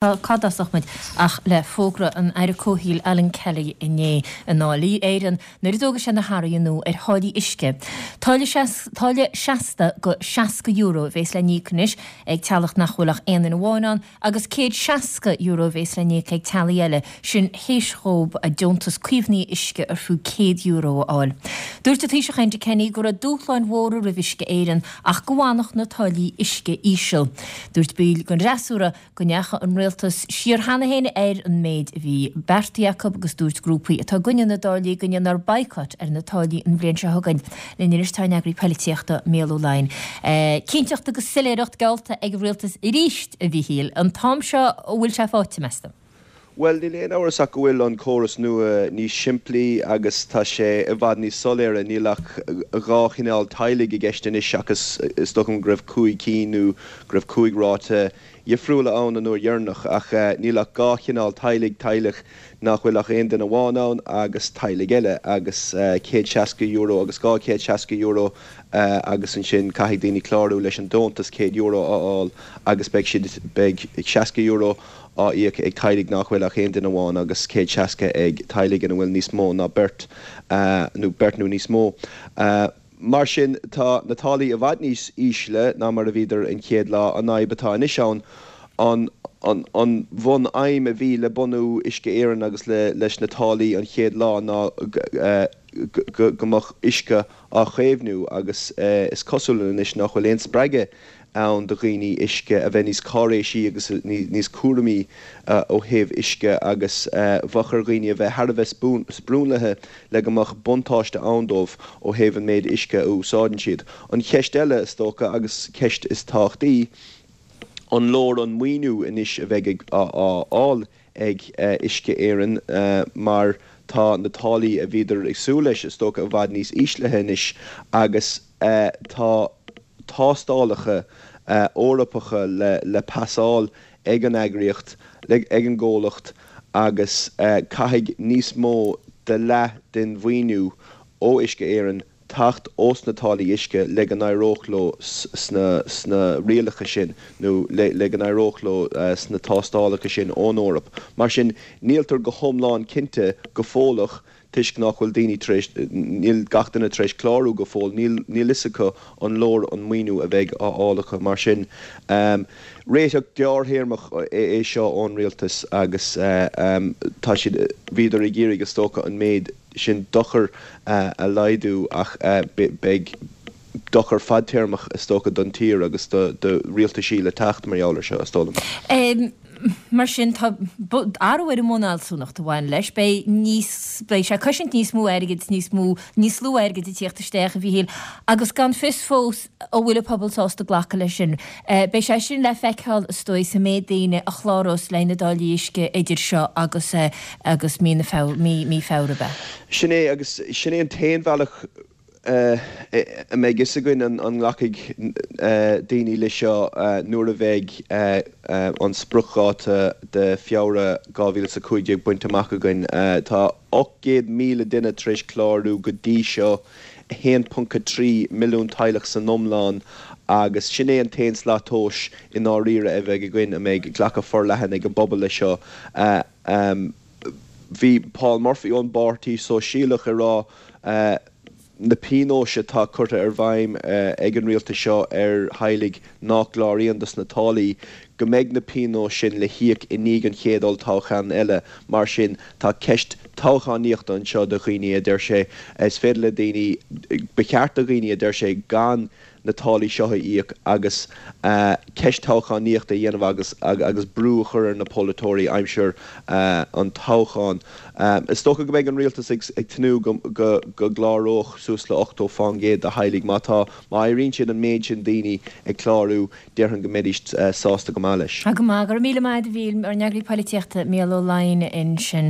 Cá dtosódh muid ach le fógra an Aire Comhshaoil Alan Kelly inné i nDáil Éireann nuair a d'fhógair sé na hathruithe nua ar tháillí uisce. Táille táille seasta de €60 a bhéas le n-íoc anois ag teaghlach nach bhfuil ach aon duine amháin ann agus €160 a bhéas le n-íoc ag teaghlaigh eile, sin théis dhóibh deontas caomhnaithe uisce ar fiú €100 a fháil. Dúirt an Taoiseach Enda Kenny go raibh dúshláin mhóra roimh Uisce Éireann ach go bhfanfadh na táillí uisce íseal. Dúirt baill den fhreasúra go ndeachaigh an rialtas siar cheana féin ar an méid a bhí beartaithe acu agus dúirt grúpaí atá i gcoinne na dtáillí go ndéanfar baghcat ar na táillí an bhliain seo chugainn. Linn anois tá ár n-eagraí poilitíochta, Mícheál Ó Laighin. Cinnteacht agus soiléireacht geallta ag an rialtas arís, a Mhíchíl. An t-am seo an bhfuil sé faighte, meas tú? Bhuel, níl aon amhras ach go bhfuil an córas nua níos simplí agus tá sé i bhfad níos soiléire. Níl ach dhá chineál teaghlaigh i gceist anois seachas is dócha go raibh cúig cinn nó go raibh cúig ráta dhifriúla ann an uair dheireanach. Ach níl ach dhá chineál teaghlaigh, teaghlach nach bhfuil ach aon duine amháin ann agus teaghlaigh eile agus €160 agus €260 agus ansin caithfidh daoine clárú leis an deontas €100 a fháil agus beidh siad, beidh €60 á íoc ag teaghlaigh nach bhfuil ach aon duine amháin agus 160 ag teaghlaigh ina bhfuil níos mó ná beirt nó beirt nó níos mó. Mar sin, tá na táillí i bhfad níos ísle ná mar a bhíodar an chéad lá. An fhadhb atá anois ann, an an bhun-aidhm a bhí le bunú Uisce Éireann agus le leis na táillí an chéad lá ná go go mbeadh uisce á chaomhnú agus is cosúil anois nach bhfuil aon spreagadh ann do dhaoine uisce a bheith níos cáiréisí agus níos cúramaí ó thaobh uisce agus bheadh ar dhaoine a bheith thar a bheith sprionlaithe le go mbeadh buntáiste ann dóibh ó thaobh an méid uisce a úsáideann siad. An cheist eile, is dócha, agus ceist is tábhachtaí, an leor an maoiniú anois a bheidh á fháil ag Uisce Éireann mar tá na táillí a bhíodar ag súil leis, is dócha, i bhfad níos íslithe anois agus tá tástálacha Eorpacha le pasáil ag an eagraíocht, ag an gcomhlacht agus caithfidh níos mó de leath den mhaoiniú ó Uisce Éireann teacht ós na táillí uisce le go n-éireodh leo sna rialacha sin nó le go n-éireodh leo sna tástálacha sin ón Eoraip. Mar sin, níltear go hiomlán cinnte go fóilleach toisc nach bhfuil daoine tar éis, níl gach duine tar éis clárú go fóill, níl níl fhios acu an leor an maoiniú a bheidh á fháil acu. Mar sin, réiteach gearrthéarmach é seo ón rialtas agus tá siad, bhíodar ag iarraidh is dócha an méid sin dochar a laghdú ach beidh dochar fadtéarmach is dócha don tír agus do rialtaisí le teacht mar gheall ar seo, is dóigh liom. Mar sin, tá athrú ar an mbunfhealsúnacht a bhain leis. Beidh níos, beidh sé ag cosaint níos mó airgid, níos mó, níos lú airgid ag tíocht isteach, a Mhíchíl, agus gan fios fós an bhfuil an pobal sásta glacadh leis sin. Beidh sé sin le feiceáil, is dóigh, sa méid daoine a chlárós le na dtáillí uisce idir seo agus agus mí na Feabhra, mí Feabhra, ab ea? Sin é, agus sin é an t-aon bhealach a mbeidh fhios againn an nglacfaidh daoine leis seo nuair a bheidh an spriocdháta de Feabhra 2015 bainte amach againn. Tá 800,000 duine tar éis clárú go dtí seo, 1.3 milliún teaghlach san iomlán, agus sin é an t-aon slat tomhais i ndáiríre a bheidh againn an mbeidh glacadh forleathan ag an bpobal leis seo. Bhí Paul Murphy ón bPáirtí Sóisialach ag rá na pionóis atá curtha ar bhfeidhm ag an rialtas seo ar theaghlaigh nach gcláraíonn dos na táillí, go mbeidh na pionóis sin le híoc i ndiaidh an chéad olltoghchán eile. Mar sin, tá ceist toghchánaíochta anseo do dhaoine, a deir sé. Is féidir le daoine, ba cheart do dhaoine, a deir sé, gan na táillí seo a íoc agus ceist toghchánaíochta a dhéanamh agus agus brú a chur ar na polaiteoirí aimsir an toghcháin. Is dócha go mbeidh an rialtas ag tnúth go go gcláródh suas le 80 fán gcéad de theaghlaigh. Má tá, má éiríonn siad an méid sin daoine ag clárú, déarfainn go mbeidís sásta go maith leis. Go maith. Go raibh míle maith agat a Mhíchíl, ár n-eagraí polaitíochta, Mícheál Ó Laighin ansin.